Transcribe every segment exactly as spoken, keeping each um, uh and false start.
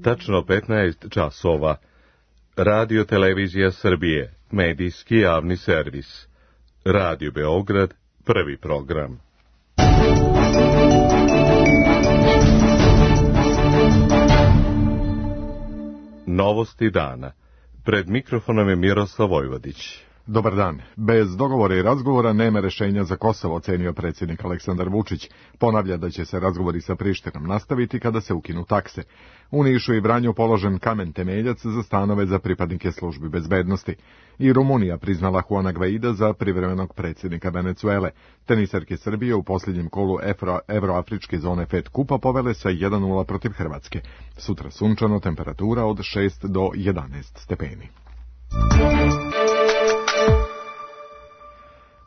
tačno petnaest časova. Radio Televizija Srbije, medijski javni servis. Radio Beograd, prvi program. Novosti dana. Pred mikrofonom je Miroslav Vojvodić. Dobar dan. Bez dogovora i razgovora nema rešenja za Kosovo, ocenio predsjednik Aleksandar Vučić. Ponavlja da će se razgovori sa Prištinom nastaviti kada se ukinu takse. U Nišu i Vranju položen kamen temeljac za stanove za pripadnike službi bezbednosti. I Rumunija priznala Juana Gvaida za privremenog predsjednika Venecuele. Teniserke Srbije u posljednjem kolu Evroafričke zone Fed kupa povele sa jedan nula protiv Hrvatske. Sutra sunčano, temperatura od šest do jedanaest stepeni.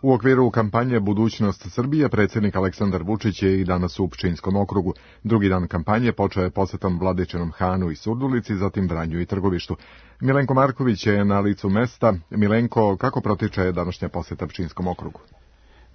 U okviru kampanje Budućnost Srbije predsjednik Aleksandar Vučić je i danas u Pčinjskom okrugu. Drugi dan kampanje počeo je posjetom Vladičinom Hanu i Surdulici, zatim Vranju i Trgovištu. Milenko Marković je na licu mesta. Milenko, kako protiče današnja posjeta Pčinjskom okrugu?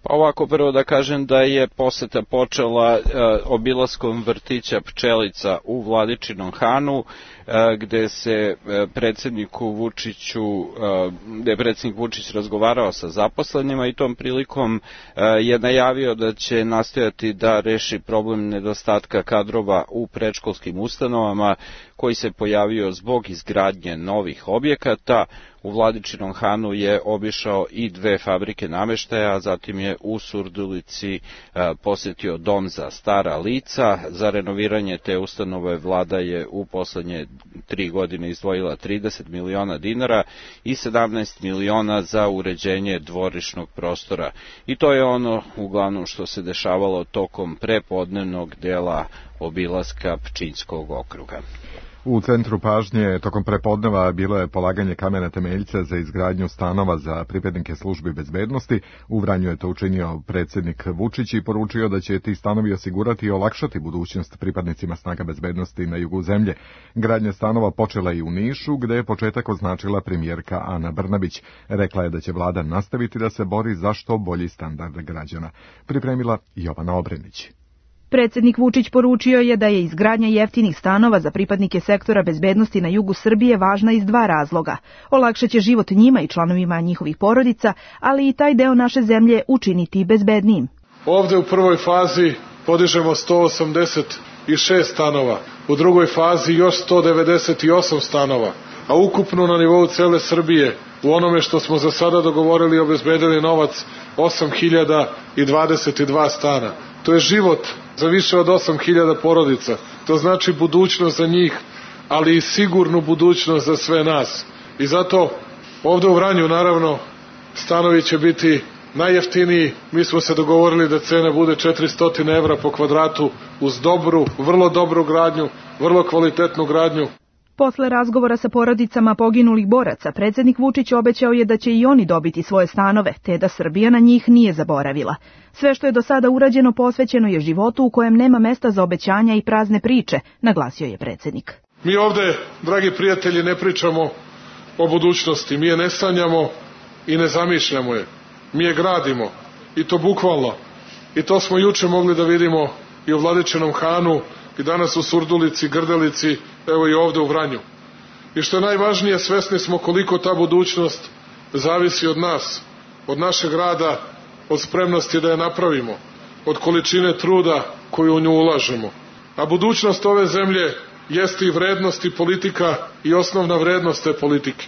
Pa ovako, prvo da kažem da je poseta počela e, obilaskom vrtića Pčelica u Vladičinom Hanu, e, gde se e, predsjedniku Vučiću, e, gde je predsjednik Vučić razgovarao sa zaposlenima i tom prilikom e, je najavio da će nastojati da reši problem nedostatka kadrova u predškolskim ustanovama koji se pojavio zbog izgradnje novih objekata. U Vladičinom Hanu je obišao i dve fabrike nameštaja, a zatim je u Surdulici posjetio dom za stara lica. Za renoviranje te ustanove vlada je u poslednje tri godine izdvojila trideset miliona dinara i sedamnaest miliona za uređenje dvorišnog prostora. I to je ono uglavnom što se dešavalo tokom prepodnevnog dela obilaska Pčinjskog okruga. U centru pažnje tokom prepodneva bilo je polaganje kamena temeljca za izgradnju stanova za pripadnike službi bezbednosti. U Vranju je to učinio predsjednik Vučić i poručio da će ti stanovi osigurati i olakšati budućnost pripadnicima snaga bezbednosti na jugu zemlje. Gradnja stanova počela i u Nišu, gde je početak označila premijerka Ana Brnabić. Rekla je da će vlada nastaviti da se bori za što bolji standard građana. Pripremila Jovana Obrenić. Predsjednik Vučić poručio je da je izgradnja jeftinih stanova za pripadnike sektora bezbednosti na jugu Srbije važna iz dva razloga. Olakšaće život njima i članovima njihovih porodica, ali i taj deo naše zemlje učiniti bezbednijim. Ovde u prvoj fazi podižemo sto osamdeset šest stanova, u drugoj fazi još sto devedeset osam stanova, a ukupno na nivou cele Srbije u onome što smo za sada dogovorili obezbedili novac osam hiljada dvadeset dva stana. To je život za više od osam hiljada porodica. To znači budućnost za njih, ali i sigurnu budućnost za sve nas. I zato ovde u Vranju, naravno, stanovi će biti najjeftiniji. Mi smo se dogovorili da cena bude četiristo evra po kvadratu uz dobru, vrlo dobru gradnju, vrlo kvalitetnu gradnju. Posle razgovora sa porodicama poginulih boraca, predsjednik Vučić obećao je da će i oni dobiti svoje stanove, te da Srbija na njih nije zaboravila. Sve što je do sada urađeno posvećeno je životu u kojem nema mesta za obećanja i prazne priče, naglasio je predsjednik. Mi ovde, dragi prijatelji, ne pričamo o budućnosti, mi je ne sanjamo i ne zamišljamo je. Mi je gradimo, i to bukvalno. I to smo juče mogli da vidimo i u Vladičinom Hanu, i danas u Surdulici, Grdelici, evo i ovde u Vranju. I što je najvažnije, svesni smo koliko ta budućnost zavisi od nas, od našeg rada, od spremnosti da je napravimo, od količine truda koju u nju ulažemo. A budućnost ove zemlje jeste i vrednost i politika i osnovna vrednost te politike.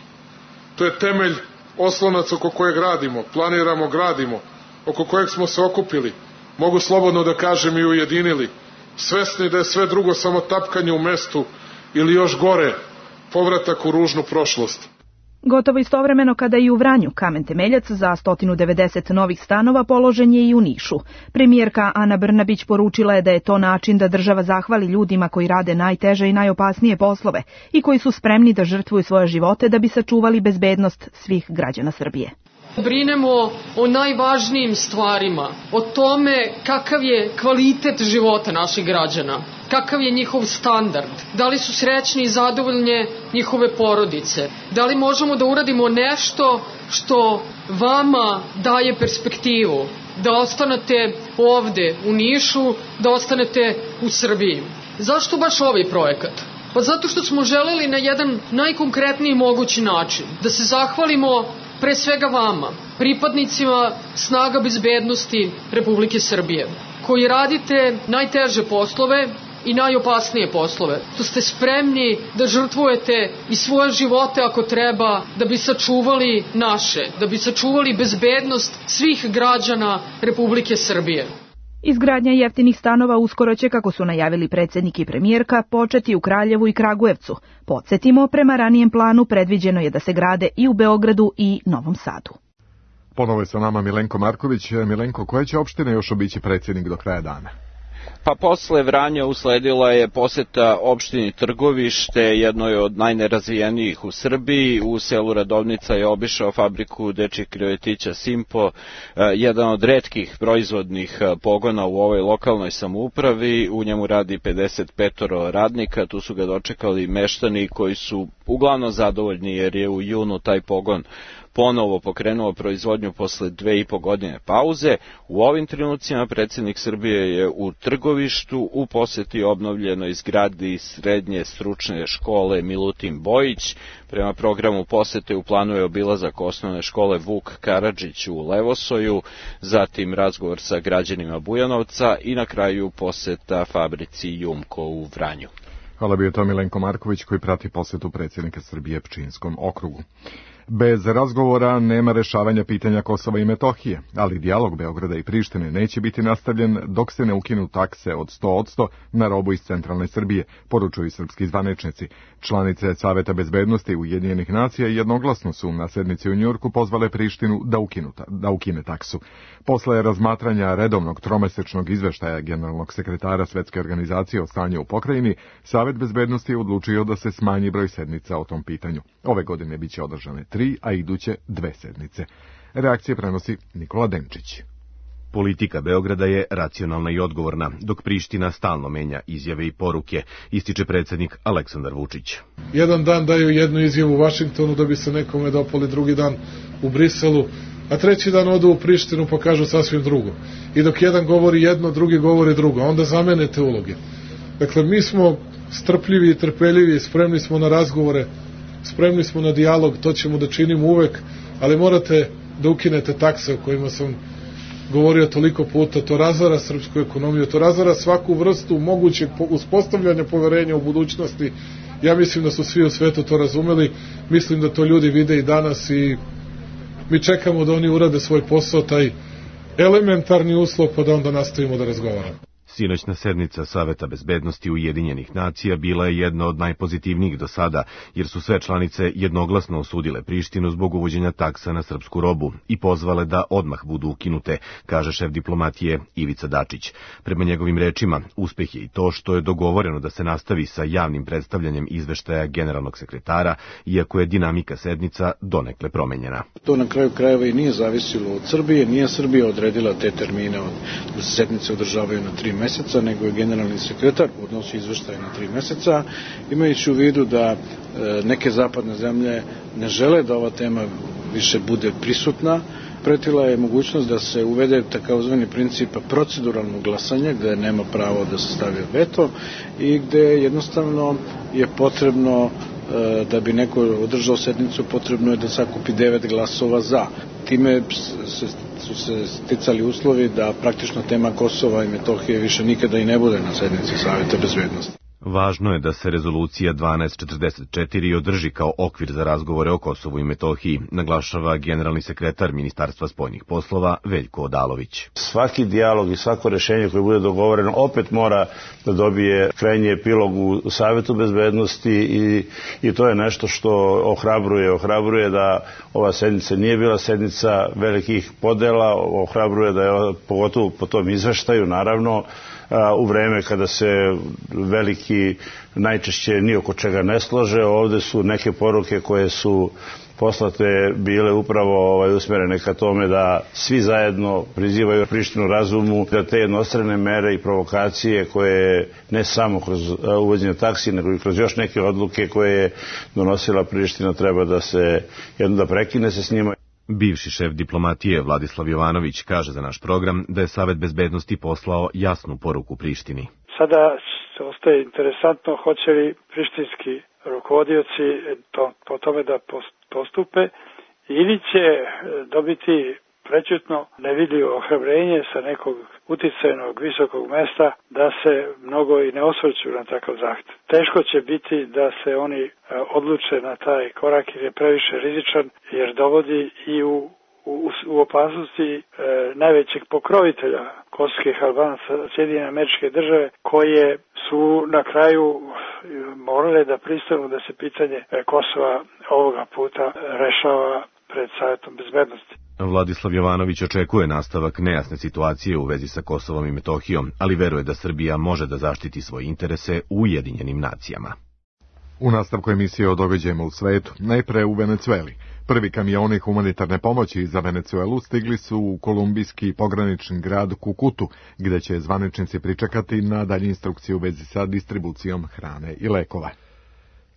To je temelj, oslonac oko kojeg radimo, planiramo, gradimo, oko kojeg smo se okupili, mogu slobodno da kažem i ujedinili, svesni da je sve drugo samo tapkanje u mestu ili još gore, povratak u ružnu prošlost. Gotovo istovremeno kada i u Vranju kamen temeljac za sto devedeset novih stanova položen je i u Nišu. Premijerka Ana Brnabić poručila je da je to način da država zahvali ljudima koji rade najteže i najopasnije poslove i koji su spremni da žrtvuju svoje živote da bi sačuvali bezbednost svih građana Srbije. Brinemo o najvažnijim stvarima, o tome kakav je kvalitet života naših građana, kakav je njihov standard, da li su srećni i zadovoljne njihove porodice, da li možemo da uradimo nešto što vama daje perspektivu, da ostanete ovde u Nišu, da ostanete u Srbiji. Zašto baš ovaj projekat? Pa zato što smo želeli na jedan najkonkretniji mogući način da se zahvalimo pre svega vama, pripadnicima snaga bezbednosti Republike Srbije, koji radite najteže poslove i najopasnije poslove. To ste spremni da žrtvujete i svoje živote ako treba da bi sačuvali naše, da bi sačuvali bezbednost svih građana Republike Srbije. Izgradnja jeftinih stanova uskoro će, kako su najavili predsjednik i premijerka, početi u Kraljevu i Kragujevcu. Podsjetimo, prema ranijem planu predviđeno je da se grade i u Beogradu i Novom Sadu. Ponovo je sa nama Milenko Marković. Milenko, koje će opštine još obići predsjednik do kraja dana? Pa posle Vranja usledila je poseta opštini Trgovište, jednoj od najnerazvijenijih u Srbiji. U selu Radovnica je obišao fabriku dečjih krevetića Simpo, jedan od retkih proizvodnih pogona u ovoj lokalnoj samoupravi. U njemu radi pedeset pet radnika, tu su ga dočekali meštani koji su uglavnom zadovoljni jer je u junu taj pogon ponovo pokrenuo proizvodnju posle dve i po godine pauze. U ovim trenucima predsjednik Srbije je u Trgovištu u poseti obnovljenoj zgradi srednje stručne škole Milutin Bojić. Prema programu posete u planu je obilazak osnovne škole Vuk Karadžić u Levosoju, zatim razgovor sa građanima Bujanovca i na kraju poseta fabrici Jumko u Vranju. Hvala, bio to Milenko Marković koji prati posetu predsjednika Srbije Pčinjskom okrugu. Bez razgovora nema rešavanja pitanja Kosova i Metohije, ali dijalog Beograda i Prištine neće biti nastavljen dok se ne ukinu takse od sto posto na robu iz centralne Srbije, poručuju srpski zvaničnici. Članice Saveta bezbednosti Ujedinjenih nacija jednoglasno su na sednici u Njujorku pozvale Prištinu da, ukinuta, da ukine taksu. Posle razmatranja redovnog tromesečnog izveštaja generalnog sekretara Svetske organizacije o stanju u pokrajini, Savet bezbednosti je odlučio da se smanji broj sednica o tom pitanju. Ove godine biće održane tri, a iduće dve sednice. Reakcije prenosi Nikola Denčić. Politika Beograda je racionalna i odgovorna, dok Priština stalno menja izjave i poruke, ističe predsjednik Aleksandar Vučić. Jedan dan daju jednu izjavu u Vašingtonu da bi se nekome dopali, drugi dan u Briselu, a treći dan odu u Prištinu pa kažu sasvim drugo. I dok jedan govori jedno, drugi govori drugo, onda zamenete uloge. Dakle, mi smo strpljivi i trpeljivi, spremni smo na razgovore, spremni smo na dijalog, to ćemo da činimo uvek, ali morate da ukinete takse o kojima sam govorio toliko puta. To razara srpsku ekonomiju, to razara svaku vrstu mogućeg uspostavljanja poverenja u budućnosti. Ja mislim da su svi u svetu to razumeli, mislim da to ljudi vide i danas i mi čekamo da oni urade svoj posao, taj elementarni uslov, pa da onda nastavimo da razgovaramo. Sinoćna sednica Saveta bezbednosti Ujedinjenih nacija bila je jedna od najpozitivnijih do sada, jer su sve članice jednoglasno osudile Prištinu zbog uvođenja taksa na srpsku robu i pozvale da odmah budu ukinute, kaže šef diplomatije Ivica Dačić. Prema njegovim rečima, uspeh je i to što je dogovoreno da se nastavi sa javnim predstavljanjem izveštaja generalnog sekretara, iako je dinamika sednica donekle promenjena. To na kraju krajeva i nije zavisilo od Srbije, nije Srbija odredila te termine od, da se sednice održavaju na tri meseca, nego je generalni sekretar odnosi izveštaje na tri meseca, imajući u vidu da e, neke zapadne zemlje ne žele da ova tema više bude prisutna. Pretila je mogućnost da se uvede takozvani princip proceduralnog glasanja, gde nema pravo da se stavi veto i gde jednostavno je potrebno, e, da bi neko održao sednicu, potrebno je da sakupi devet glasova za. Time se, su se sticali uslovi da praktično tema Kosova i Metohije više nikada i ne bude na sednici Saveta bezbednosti. Važno je da se rezolucija dvanaest četrdeset četiri održi kao okvir za razgovore o Kosovu i Metohiji, naglašava generalni sekretar Ministarstva spoljnih poslova Veljko Odalović. Svaki dijalog i svako rešenje koje bude dogovoreno opet mora da dobije krajnji epilog u Savetu bezbednosti i, i to je nešto što ohrabruje. Ohrabruje da ova sednica nije bila sednica velikih podela, ohrabruje da je, pogotovo po tom izveštaju, naravno, u vreme kada se veliki najčešće ni oko čega ne slože. Ovde su neke poruke koje su poslate bile upravo ovaj, usmerene ka tome da svi zajedno prizivaju Prištinu razumu, da te jednostrane mere i provokacije koje ne samo kroz uvođenje taksi, nego i kroz još neke odluke koje je donosila Priština, treba da se jedno da prekine se s njima. Bivši šef diplomatije Vladislav Jovanović kaže za naš program da je Savet bezbednosti poslao jasnu poruku Prištini. Sada ostaje interesantno hoće li prištinski rukovodioci to, po tome da postupe ili će dobiti prećutno nevidljivo ohrabrenje sa nekog uticajnog visokog mesta da se mnogo i ne osvrću na takav zahtev. Teško će biti da se oni odluče na taj korak jer je previše rizičan jer dovodi i u U, u opasnosti e, najvećeg pokrovitelja kosovskih Albanaca, Sjedinjene Američke Države, koje su na kraju morale da pristanu da se pitanje Kosova ovoga puta rešava pred Savetom bezbednosti. Vladislav Jovanović očekuje nastavak nejasne situacije u vezi sa Kosovom i Metohijom, ali veruje da Srbija može da zaštiti svoje interese u Ujedinjenim nacijama. U nastavku emisije o događajima u svetu, najpre u Venecueli. Prvi kamioni humanitarne pomoći za Venecuelu stigli su u kolumbijski pogranični grad Kukutu, gde će zvaničnici pričekati na dalje instrukcije u vezi sa distribucijom hrane i lekova.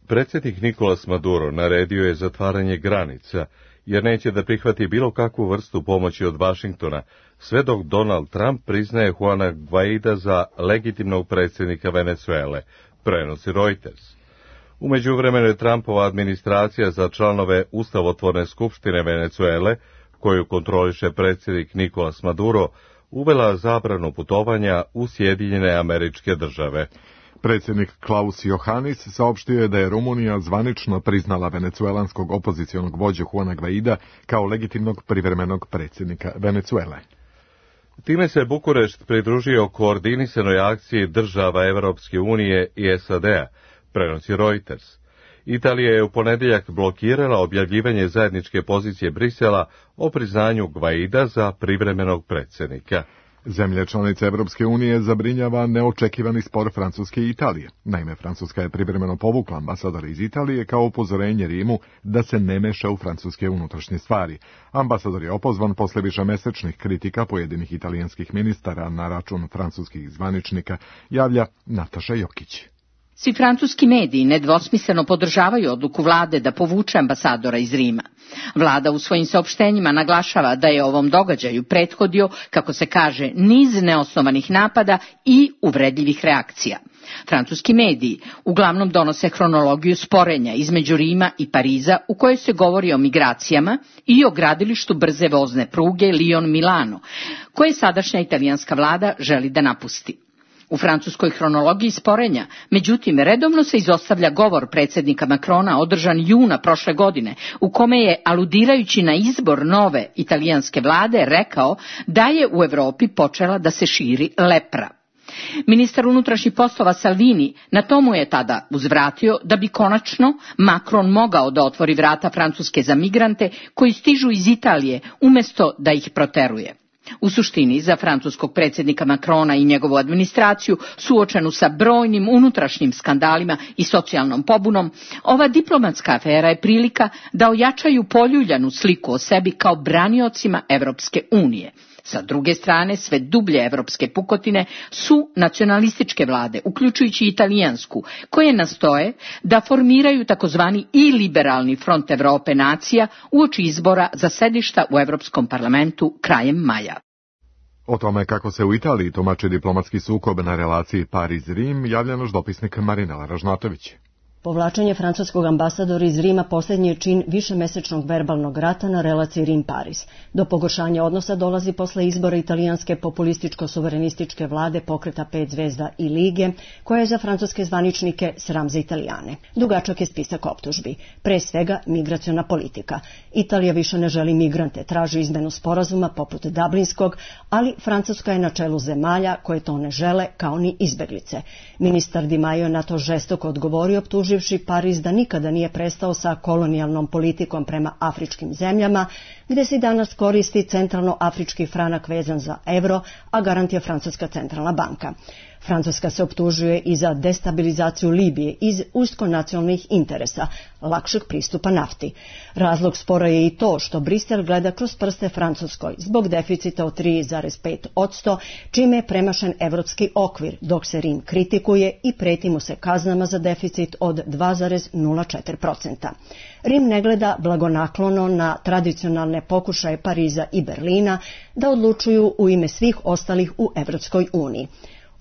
Predsjednik Nicolas Maduro naredio je zatvaranje granica, jer neće da prihvati bilo kakvu vrstu pomoći od Vašingtona, sve dok Donald Trump priznaje Juana Guaida za legitimnog predsjednika Venecuele, prenosi Reuters. U međuvremenu je Trumpova administracija za članove Ustavotvorne skupštine Venecuele, koju kontroliše predsjednik Nicolas Maduro, uvela zabranu putovanja u Sjedinjene Američke Države. Predsjednik Klaus Johannis saopštio je da je Rumunija zvanično priznala venecuelanskog opozicionog vođu Juana Guaida kao legitimnog privremenog predsjednika Venecuele. Time se Bukurešt pridružio koordinisanoj akciji država Evropske unije i S A D-a, prenosi Reuters. Italija je u ponedjeljak blokirala objavljivanje zajedničke pozicije Brisela o priznanju Guaida za privremenog predsjednika. Zemlje članice Evropske unije zabrinjava neočekivani spor Francuske i Italije. Naime, Francuska je privremeno povukla ambasadora iz Italije kao upozorenje Rimu da se ne meša u francuske unutrašnje stvari. Ambasador je opozvan posle višemesečnih kritika pojedinih italijanskih ministara na račun francuskih zvaničnika, javlja Nataša Jokić. Svi francuski mediji nedvosmisleno podržavaju odluku vlade da povuče ambasadora iz Rima. Vlada u svojim saopštenjima naglašava da je ovom događaju prethodio, kako se kaže, niz neosnovanih napada i uvredljivih reakcija. Francuski mediji uglavnom donose hronologiju sporenja između Rima i Pariza u kojoj se govori o migracijama i o gradilištu brze vozne pruge Lyon-Milano, koje sadašnja italijanska vlada želi da napusti. U francuskoj hronologiji sporenja, međutim, redovno se izostavlja govor predsjednika Macrona održan juna prošle godine, u kome je, aludirajući na izbor nove italijanske vlade, rekao da je u Evropi počela da se širi lepra. Ministar unutrašnjih poslova Salvini na tomu je tada uzvratio da bi konačno Macron mogao da otvori vrata Francuske za migrante koji stižu iz Italije umjesto da ih proteruje. U suštini, za francuskog predsjednika Macrona i njegovu administraciju, suočenu sa brojnim unutrašnjim skandalima i socijalnom pobunom, ova diplomatska afera je prilika da ojačaju poljuljanu sliku o sebi kao braniocima Evropske unije. Sa druge strane, sve dublje evropske pukotine su nacionalističke vlade, uključujući italijansku, koje nastoje da formiraju takozvani i liberalni front Evrope nacija uoči izbora za sedišta u Evropskom parlamentu krajem maja. O tome kako se u Italiji tumači diplomatski sukob na relaciji Pariz-Rim javlja naš dopisnik Marinela Ražnatović. Povlačenje francuskog ambasadora iz Rima posljednji je čin višemesečnog verbalnog rata na relaciji Rim-Pariz. Do pogoršanja odnosa dolazi posle izbora italijanske populističko-suverenističke vlade pokreta pet zvezda i Lige, koja je za francuske zvaničnike sram za Italijane. Dugačak je spisak optužbi. Pre svega migraciona politika. Italija više ne želi migrante, traži izmenu sporazuma poput Dublinskog, ali Francuska je na čelu zemalja koje to ne žele, kao ni izbeglice. Ministar Di Maio na to žestoko odgovorio, optuživši Pariz da nikada nije prestao sa kolonijalnom politikom prema afričkim zemljama, gde se danas koristi centralno-afrički franak vezan za evro, a garant je Francuska centralna banka. Francuska se optužuje i za destabilizaciju Libije iz uskonacionalnih interesa, lakšeg pristupa nafti. Razlog spora je i to što Brisel gleda kroz prste Francuskoj zbog deficita od tri zarez pet posto, čime je premašen evropski okvir, dok se Rim kritikuje i preti mu se kaznama za deficit od dva zarez nula četiri posto. Rim ne gleda blagonaklono na tradicionalne pokušaje Pariza i Berlina da odlučuju u ime svih ostalih u Evropskoj uniji.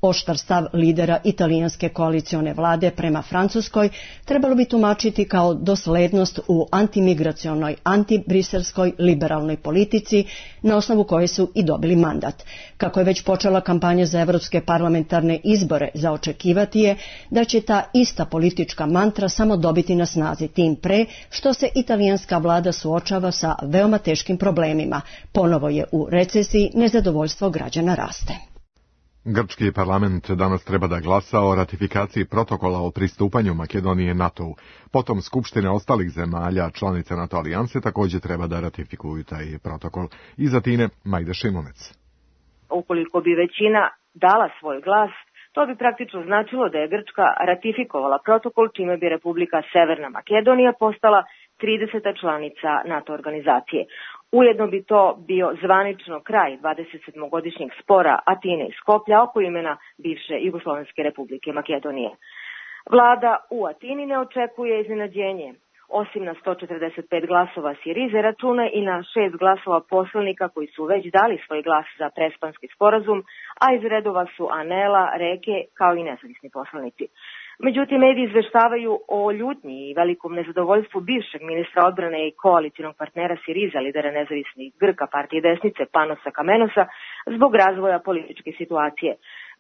Oštar stav lidera italijanske koalicione vlade prema Francuskoj trebalo bi tumačiti kao doslednost u antimigracionoj, antibriselsskoj liberalnoj politici na osnovu koje su i dobili mandat. Kako je već počela kampanja za evropske parlamentarne izbore, za očekivati je da će ta ista politička mantra samo dobiti na snazi, tim pre što se italijanska vlada suočava sa veoma teškim problemima. Ponovo je u recesiji, nezadovoljstvo građana raste. Grčki parlament danas treba da glasa o ratifikaciji protokola o pristupanju Makedonije NATO-u. Potom skupštine ostalih zemalja članica NATO alijanse također treba da ratifikuju taj protokol. Iz Atine, Majda Šimunec. Ukoliko bi većina dala svoj glas, to bi praktično značilo da je Grčka ratifikovala protokol, čime bi Republika Severna Makedonija postala trideseta članica NATO organizacije. Ujedno bi to bio zvanično kraj dvadesetsedmogodišnjeg spora Atine i Skoplja oko imena bivše Jugoslovenske Republike Makedonije. Vlada u Atini ne očekuje iznenađenje. Osim na sto četrdeset pet glasova Sirize, računa i na šest glasova poslanika koji su već dali svoj glas za prespanski sporazum, a iz redova su Anela, Reke kao i nezavisni poslanici. Međutim, mediji izveštavaju o ljutnji i velikom nezadovoljstvu bivšeg ministra odbrane i koalicijnog partnera Siriza, lidera nezavisnih Grka partije desnice Panosa Kamenosa, zbog razvoja političke situacije.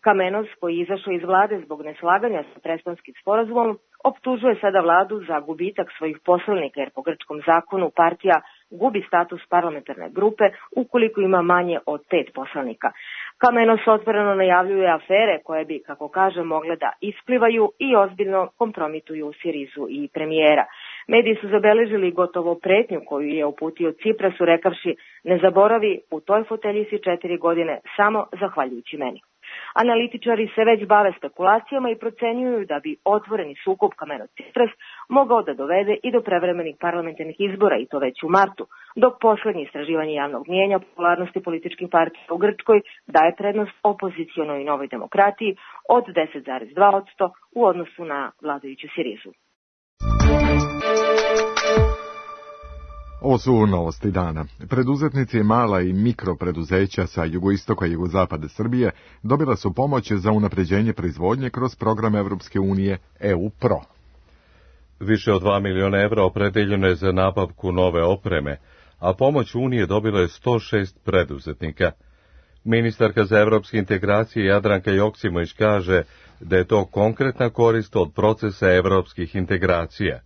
Kamenos, koji je izašao iz vlade zbog neslaganja sa prespanskim sporazumom, optužuje sada vladu za gubitak svojih poslanika, jer po grčkom zakonu partija gubi status parlamentarne grupe ukoliko ima manje od pet poslanika. Kamenos otvoreno najavljuje afere koje bi, kako kaže, mogle da isplivaju i ozbiljno kompromituju Sirizu i premijera. Mediji su zabeležili gotovo pretnju koju je uputio Ciprasu, rekavši: ne zaboravi, u toj fotelji si četiri godine samo zahvaljujući meni. Analitičari se već bave spekulacijama i procenjuju da bi otvoreni sukob Kameno-Cipras mogao da dovede i do prevremenih parlamentarnih izbora, i to već u martu, dok poslednje istraživanje javnog mnijenja popularnosti političkih partija u Grčkoj daje prednost opozicionoj Novoj demokratiji od deset zarez dva posto u odnosu na vladajuću Sirizu. Ovo su novosti dana. Preduzetnici mala i mikropreduzeća sa jugoistoka i jugozapada Srbije dobila su pomoć za unapređenje proizvodnje kroz program Evropske unije E U Pro. Više od dva miliona evra opredeljeno je za nabavku nove opreme, a pomoć Unije dobilo je sto šest preduzetnika. Ministarka za evropske integracije Jadranka Joksimović kaže da je to konkretna korist od procesa evropskih integracija.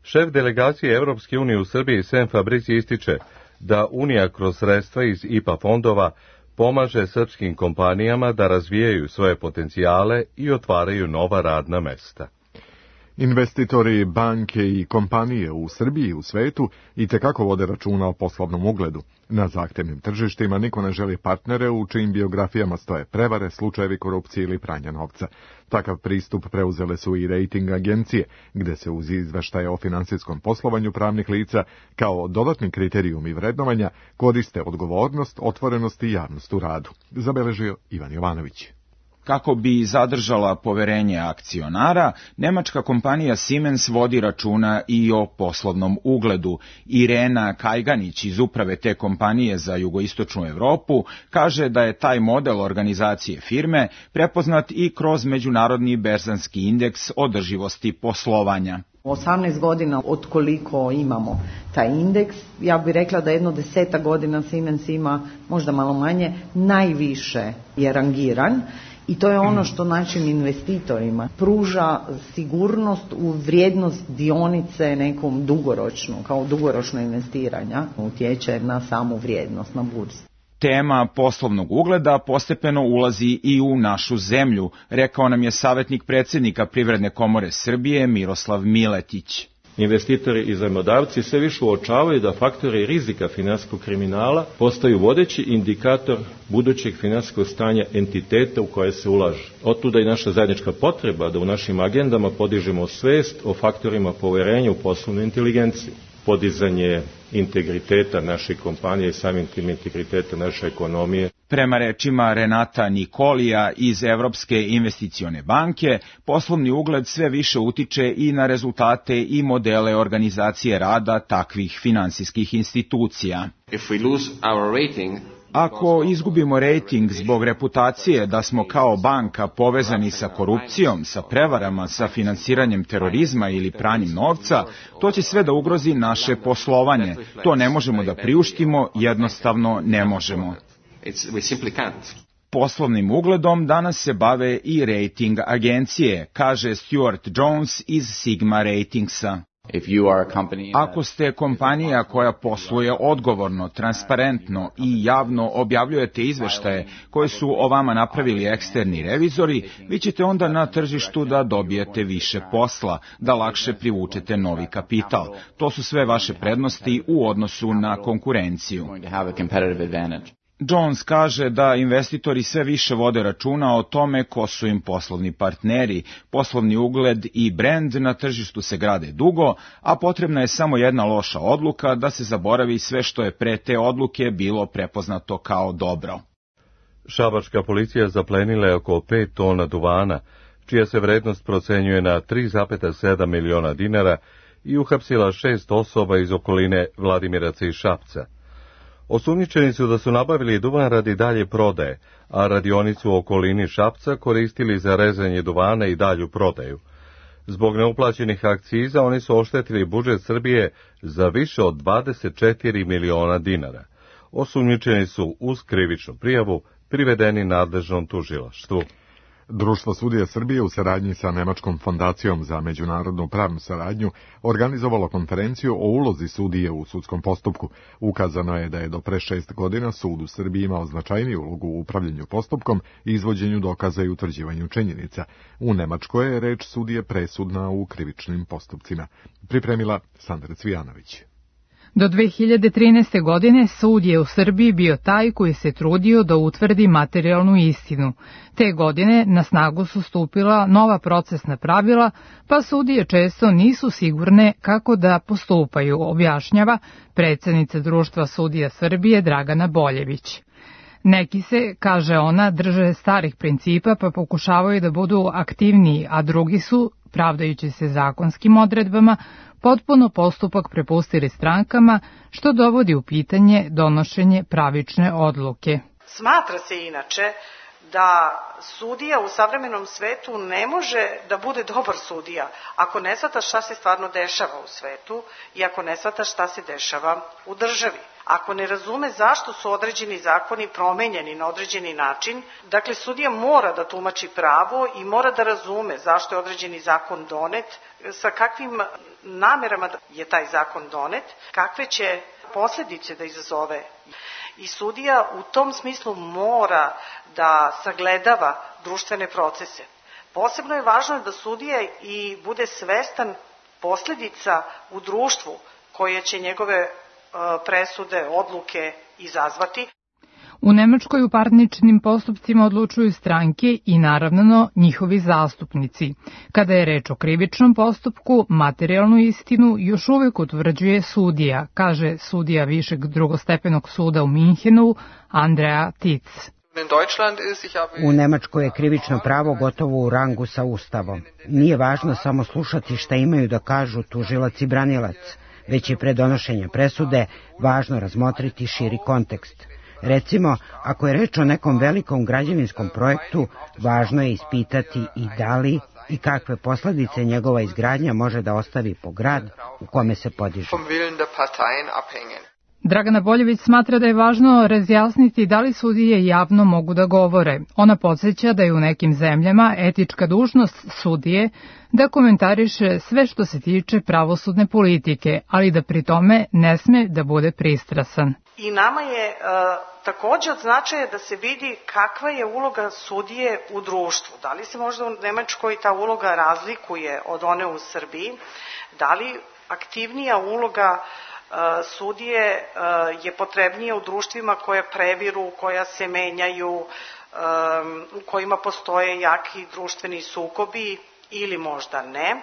Šef delegacije Evropske unije u Srbiji Sem Fabrici ističe da Unija kroz sredstva iz I P A fondova pomaže srpskim kompanijama da razvijaju svoje potencijale i otvaraju nova radna mesta. Investitori, banke i kompanije u Srbiji i u svetu itekako vode računa o poslovnom ugledu. Na zahtevnim tržištima niko ne želi partnere u čijim biografijama stoje prevare, slučajevi korupcije ili pranja novca. Takav pristup preuzele su i rating agencije, gde se uz izveštaje o finansijskom poslovanju pravnih lica kao dodatni kriterijumi vrednovanja koriste odgovornost, otvorenost i javnost u radu. Zabeležio Ivan Jovanović. Kako bi zadržala poverenje akcionara, nemačka kompanija Siemens vodi računa i o poslovnom ugledu. Irena Kajganić iz uprave te kompanije za jugoistočnu Evropu kaže da je taj model organizacije firme prepoznat i kroz međunarodni berzanski indeks održivosti poslovanja. osamnaest godina od koliko imamo taj indeks, ja bih rekla da jedno deseta godina Siemens ima, možda malo manje, najviše je rangiran. I to je ono što našim investitorima pruža sigurnost u vrijednost dionice nekom dugoročnu, kao dugoročno investiranja, utječe na samu vrijednost na burzi. Tema poslovnog ugleda postepeno ulazi i u našu zemlju, rekao nam je savjetnik predsjednika Privredne komore Srbije Miroslav Miletić. Investitori i zajmodavci sve više uočavaju da faktori rizika finansijskog kriminala postaju vodeći indikator budućeg finansijskog stanja entiteta u koje se ulaže. Otuda i naša zajednička potreba da u našim agendama podižemo svest o faktorima poverenja u poslovnu inteligenciju. Podizanje integriteta naše kompanije i samim tim integriteta naše ekonomije. Prema rečima Renata Nikolija iz Evropske investicione banke, poslovni ugled sve više utiče i na rezultate i modele organizacije rada takvih finansijskih institucija. If we lose our rating, Ako izgubimo rejting zbog reputacije da smo kao banka povezani sa korupcijom, sa prevarama, sa finansiranjem terorizma ili pranjem novca, to će sve da ugrozi naše poslovanje. To ne možemo da priuštimo, jednostavno ne možemo. Poslovnim ugledom danas se bave i rejting agencije, kaže Stuart Jones iz Sigma Ratingsa. Ako ste kompanija koja posluje odgovorno, transparentno i javno objavljujete izveštaje koje su o vama napravili eksterni revizori, vi ćete onda na tržištu da dobijete više posla, da lakše privučete novi kapital. To su sve vaše prednosti u odnosu na konkurenciju. Jones kaže da investitori sve više vode računa o tome ko su im poslovni partneri, poslovni ugled i brend na tržištu se grade dugo, a potrebna je samo jedna loša odluka da se zaboravi sve što je pre te odluke bilo prepoznato kao dobro. Šabačka policija zaplenila je oko pet tona duvana, čija se vrednost procenjuje na tri zarez sedam miliona dinara i uhapsila šest osoba iz okoline Vladimiraca i Šapca. Osumnjičeni su da su nabavili duvan radi dalje prodaje, a radionicu u okolini Šapca koristili za rezanje duvana i dalju prodaju. Zbog neuplaćenih akciza oni su oštetili budžet Srbije za više od dvadeset četiri miliona dinara. Osumnjičeni su uz krivičnu prijavu privedeni nadležnom tužilaštvu. Društvo sudija Srbije u saradnji sa Nemačkom fondacijom za međunarodnu pravnu saradnju organizovalo konferenciju o ulozi sudije u sudskom postupku. Ukazano je da je do pre šest godina sud u Srbiji imao značajniju ulogu u upravljanju postupkom, izvođenju dokaza i utvrđivanju činjenica. U Nemačkoj je reč sudije presudna u krivičnim postupcima. Pripremila Sandra Cvijanović. Do dve hiljade trinaeste. godine sud je u Srbiji bio taj koji se trudio da utvrdi materijalnu istinu. Te godine na snagu su stupila nova procesna pravila, pa sudije često nisu sigurne kako da postupaju, objašnjava predsednica Društva sudija Srbije Dragana Boljević. Neki se, kaže ona, drže starih principa pa pokušavaju da budu aktivniji, a drugi su, pravdajući se zakonskim odredbama, potpuno postupak prepustili strankama, što dovodi u pitanje donošenje pravične odluke. Smatra se inače da sudija u savremenom svetu ne može da bude dobar sudija ako ne shvata šta se stvarno dešava u svetu i ako ne shvata šta se dešava u državi. Ako ne razume zašto su određeni zakoni promenjeni na određeni način, dakle sudija mora da tumači pravo i mora da razume zašto je određeni zakon donet, sa kakvim namerama je taj zakon donet, kakve će posledice da izazove. I sudija u tom smislu mora da sagledava društvene procese. Posebno je važno da sudija i bude svestan posledica u društvu koje će njegove presude, odluke izazvati. U Nemačkoj u parničnim postupcima odlučuju stranke i naravno njihovi zastupnici. Kada je reč o krivičnom postupku, materijalnu istinu još uvek utvrđuje sudija, kaže sudija Višeg drugostepenog suda u Minhenu, Andrea Tic. U Nemačkoj je krivično pravo gotovo u rangu sa Ustavom. Nije važno samo slušati šta imaju da kažu tužilac i branilac, već je pre donošenja presude važno razmotriti širi kontekst. Recimo, ako je reč o nekom velikom građevinskom projektu, važno je ispitati i da li i kakve posledice njegova izgradnja može da ostavi po grad u kome se podiže. Dragana Boljević smatra da je važno razjasniti da li sudije javno mogu da govore. Ona podsjeća da je u nekim zemljama etička dužnost sudije da komentariše sve što se tiče pravosudne politike, ali da pri tome ne sme da bude pristrasan. I nama je e, takođe od značaja da se vidi kakva je uloga sudije u društvu. Da li se možda u Nemačkoj ta uloga razlikuje od one u Srbiji? Da li aktivnija uloga sudije je potrebnija u društvima koja previru, koja se menjaju, u kojima postoje jaki društveni sukobi ili možda ne.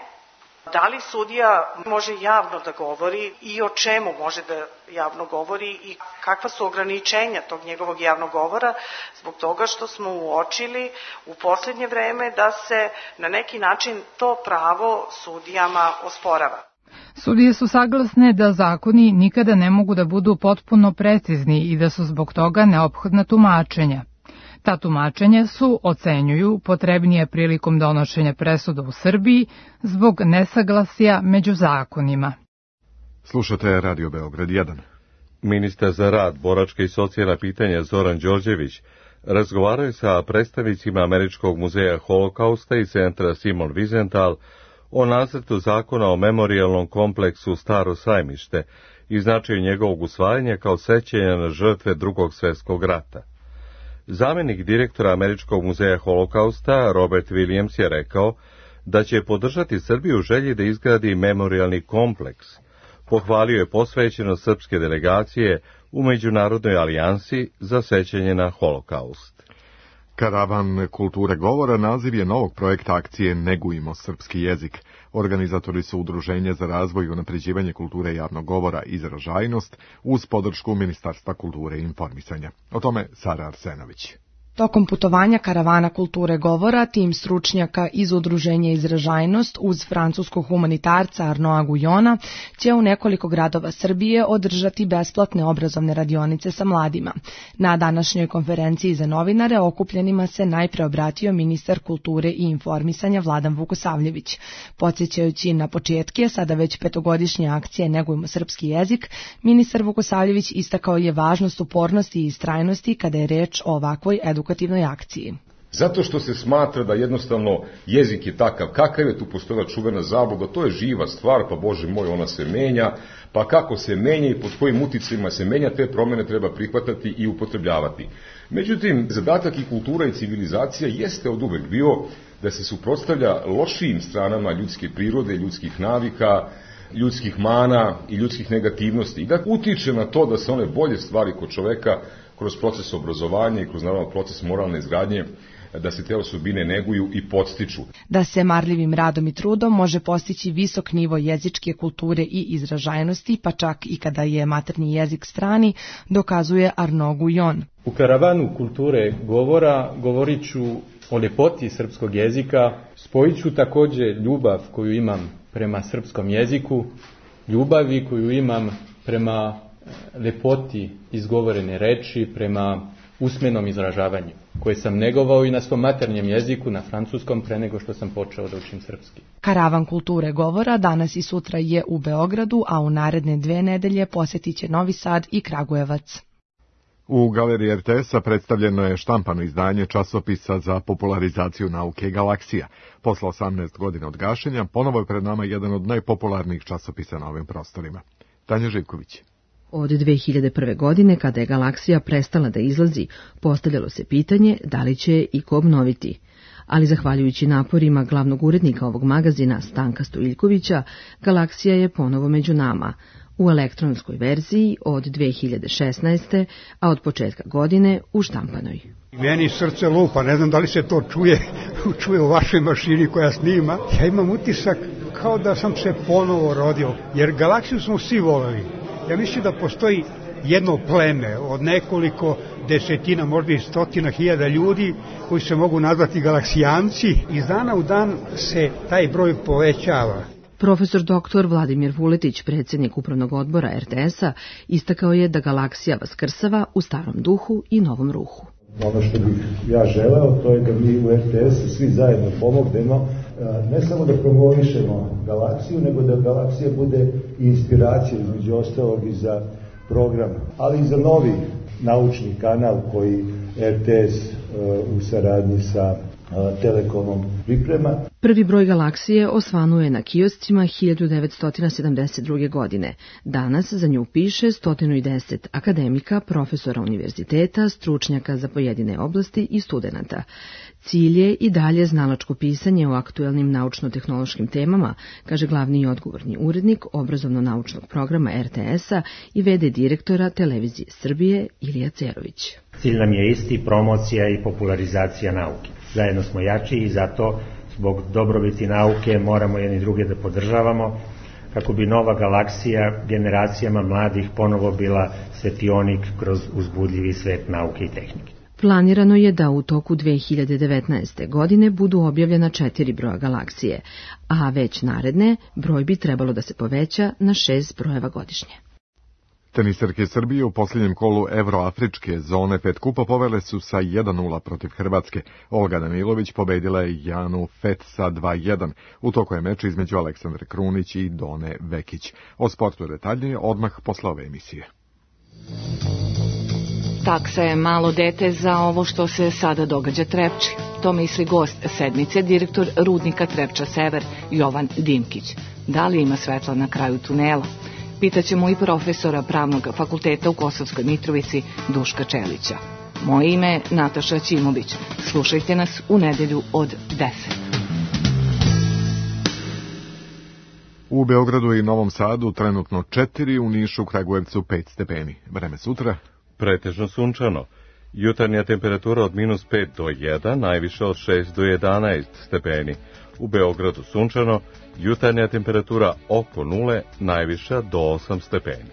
Da li sudija može javno da govori i o čemu može da javno govori i kakva su ograničenja tog njegovog javnog govora, zbog toga što smo uočili u poslednje vreme da se na neki način to pravo sudijama osporava. Sudije su saglasne da zakoni nikada ne mogu da budu potpuno precizni i da su zbog toga neophodna tumačenja. Ta tumačenja su, ocenjuju, potrebnije prilikom donošenja presuda u Srbiji zbog nesaglasja među zakonima. Slušate Radio Beograd jedan. Ministar za rad, boračka i socijalna pitanja Zoran Đorđević razgovarao je sa predstavnicima Američkog muzeja Holokausta i centra Simon Wiesenthal o nacrtu zakona o memorijalnom kompleksu Staro sajmište i značaju njegovog usvajanja kao sećanja na žrtve Drugog svjetskog rata. Zamenik direktora Američkog muzeja Holokausta Robert Williams je rekao da će podržati Srbiju u želji da izgradi memorijalni kompleks. Pohvalio je posvećenost srpske delegacije u Međunarodnoj alijansi za sećanje na Holokaust. Karavan kulture govora naziv je novog projekta akcije Negujmo srpski jezik. Organizatori su Udruženje za razvoj i unapređivanje kulture javnog govora Izražajnost uz podršku Ministarstva kulture i informisanja. O tome Sara Arsenović. Tokom putovanja karavana kulture govora, tim stručnjaka iz Udruženja Izražajnost uz francuskog humanitarca Arnaud Guyona će u nekoliko gradova Srbije održati besplatne obrazovne radionice sa mladima. Na današnjoj konferenciji za novinare okupljenima se najpre obratio ministar kulture i informisanja Vladan Vukosavljević. Podsjećajući na početke, sada već petogodišnje akcije Negujmo srpski jezik, ministar Vukosavljević istakao je važnost upornosti i istrajnosti kada je reč o ovakvoj edukaciji. edukativnoj akciji. Zato što se smatra da jednostavno jezik je takav kakav je, tu postojala čuvena zabluda, to je živa stvar, pa Bože moj, ona se menja, pa kako se menja i pod kojim uticajima se menja, te promjene treba prihvatati i upotrebljavati. Međutim, zadatak i kultura i civilizacija jeste od uvek bio da se suprotstavlja lošijim stranama ljudske prirode, ljudskih navika, ljudskih mana i ljudskih negativnosti i da utiče na to da se one bolje stvari kod čoveka kroz proces obrazovanja i kroz naravno proces moralne izgradnje, da se te osobine neguju i podstiču. Da se marljivim radom i trudom može postići visok nivo jezičke kulture i izražajnosti, pa čak i kada je maternji jezik strani, dokazuje Arnaud Guyon. U karavanu kulture govora govorit ću o ljepoti srpskog jezika, spojit ću također ljubav koju imam prema srpskom jeziku, ljubavi koju imam prema lepoti izgovorene reči, prema usmenom izražavanju, koje sam negovao i na svom maternjem jeziku, na francuskom, pre nego što sam počeo da učim srpski. Karavan kulture govora danas i sutra je u Beogradu, a u naredne dve nedelje posjetit će Novi Sad i Kragujevac. U galeriji er te es-a predstavljeno je štampano izdanje časopisa za popularizaciju nauke Galaksija. Posle osamnaest godina od gašenja, ponovo je pred nama jedan od najpopularnijih časopisa na ovim prostorima. Tanja Živković. Od dve hiljade prve. godine, kada je Galaksija prestala da izlazi, postavljalo se pitanje da li će i ko obnoviti. Ali zahvaljujući naporima glavnog urednika ovog magazina, Stanka Stojiljkovića, Galaksija je ponovo među nama, u elektronskoj verziji od dve hiljade šesnaeste. a od početka godine u štampanoj. Meni srce lupa, ne znam da li se to čuje, čuje u vašoj mašini koja snima. Ja imam utisak kao da sam se ponovo rodio, jer Galaksiju smo svi voleli. Ja mislim da postoji jedno pleme od nekoliko desetina, možda i stotina hiljada ljudi koji se mogu nazvati galaksijanci. Iz dana u dan se taj broj povećava. Profesor doktor Vladimir Vuletić, predsjednik upravnog odbora er te es-a, istakao je da Galaksija vaskrsava u starom duhu i novom ruhu. Ono što bih ja želeo, to je da mi u er te es-u svi zajedno pomognemo, ne samo da promovišemo Galaksiju, nego da Galaksija bude inspiracija između ostalog i za program, ali i za novi naučni kanal koji er te es u saradnji sa Telekomom priprema. Prvi broj Galaksije osvanuo je na kioscima hiljadu devetsto sedamdeset druge. godine. Danas za nju piše sto deset akademika, profesora univerziteta, stručnjaka za pojedine oblasti i studenata. Cilj je i dalje znalačko pisanje o aktuelnim naučno-tehnološkim temama, kaže glavni i odgovorni urednik obrazovno-naučnog programa er te es-a i ve de direktora Televizije Srbije Ilija Cerović. Cilj nam je isti, promocija i popularizacija nauke. Zajedno smo jači i zato zbog dobrobiti nauke moramo jedni druge da podržavamo kako bi nova Galaksija generacijama mladih ponovo bila svetionik kroz uzbudljivi svet nauke i tehnike. Planirano je da u toku dve hiljade devetnaeste. godine budu objavljena četiri broja galaksije, a već naredne broj bi trebalo da se poveća na šest brojeva godišnje. Teniserke Srbije u posljednjem kolu Evroafričke zone pet kupa povele su sa jedan nula protiv Hrvatske. Olga Danilović pobedila je Janu Fet sa dva jedan. U toku je meč između Aleksandre Krunić i Done Vekić. O sportu detaljnije odmah posle ove emisije. Taksa je malo dete za ovo što se sada događa Trepči. To misli gost sedmice, direktor rudnika Trepča Sever, Jovan Dimkić. Da li ima svetla na kraju tunela? Pitaćemo i profesora Pravnog fakulteta u Kosovskoj Mitrovici, Duška Čelića. Moje ime je Nataša Ćimović. Slušajte nas u nedelju od deset. U Beogradu i Novom Sadu trenutno četiri, u Nišu, Kragujevcu pet stepeni. Vreme sutra? Pretežno sunčano. Jutarnja temperatura od minus pet do jedan, najviše od šest do jedanaest stepeni. U Beogradu sunčano, jutarnja temperatura oko nule, najviša do osam stepeni.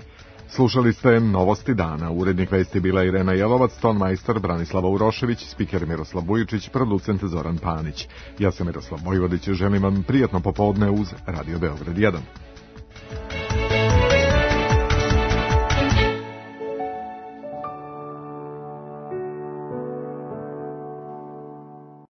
Slušali ste Novosti dana. Urednik vesti bila Irena Jelovac, tonmajstor Branislava Urošević, spiker Miroslav Vujičić, producent Zoran Panić. Ja sam Miroslav Vojvodić, želim vam prijatno popodne uz Radio Beograd jedan.